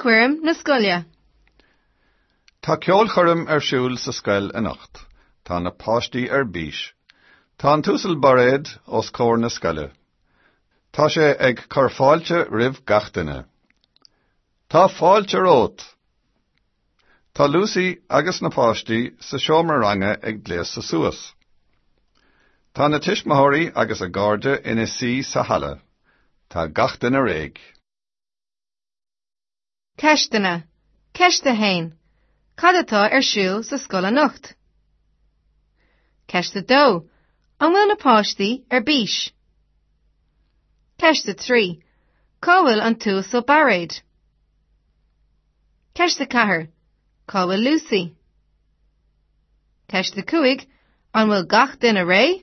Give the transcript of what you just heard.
Ceolchoirm na scoile. Tá ceolchoirm ar siúl sa scoil anocht. Tá na páistí ar bís. Tá an tUasal Bairéad os comhair na scoile. Tá sé ag cur fáilte roimh gach duine. Tá fáilte romhat! Tá Lucy agus na páistí sa seomra ranga ag gléasadh suas. Tá na tuismitheoirí agus a gcairde ina suí sa halla. Tá gach duine réidh. Ceisteanna. Ceist 1. Cad atá ar siúl sa scoil anocht? Ceist 2. An bhfuil na páistí ar bís? Ceist 3. Cá bhfuil an tUasal Bairéad? Ceist 4. Cá bhfuil Lucy? Ceist 5. An bhfuil gach duine réidh?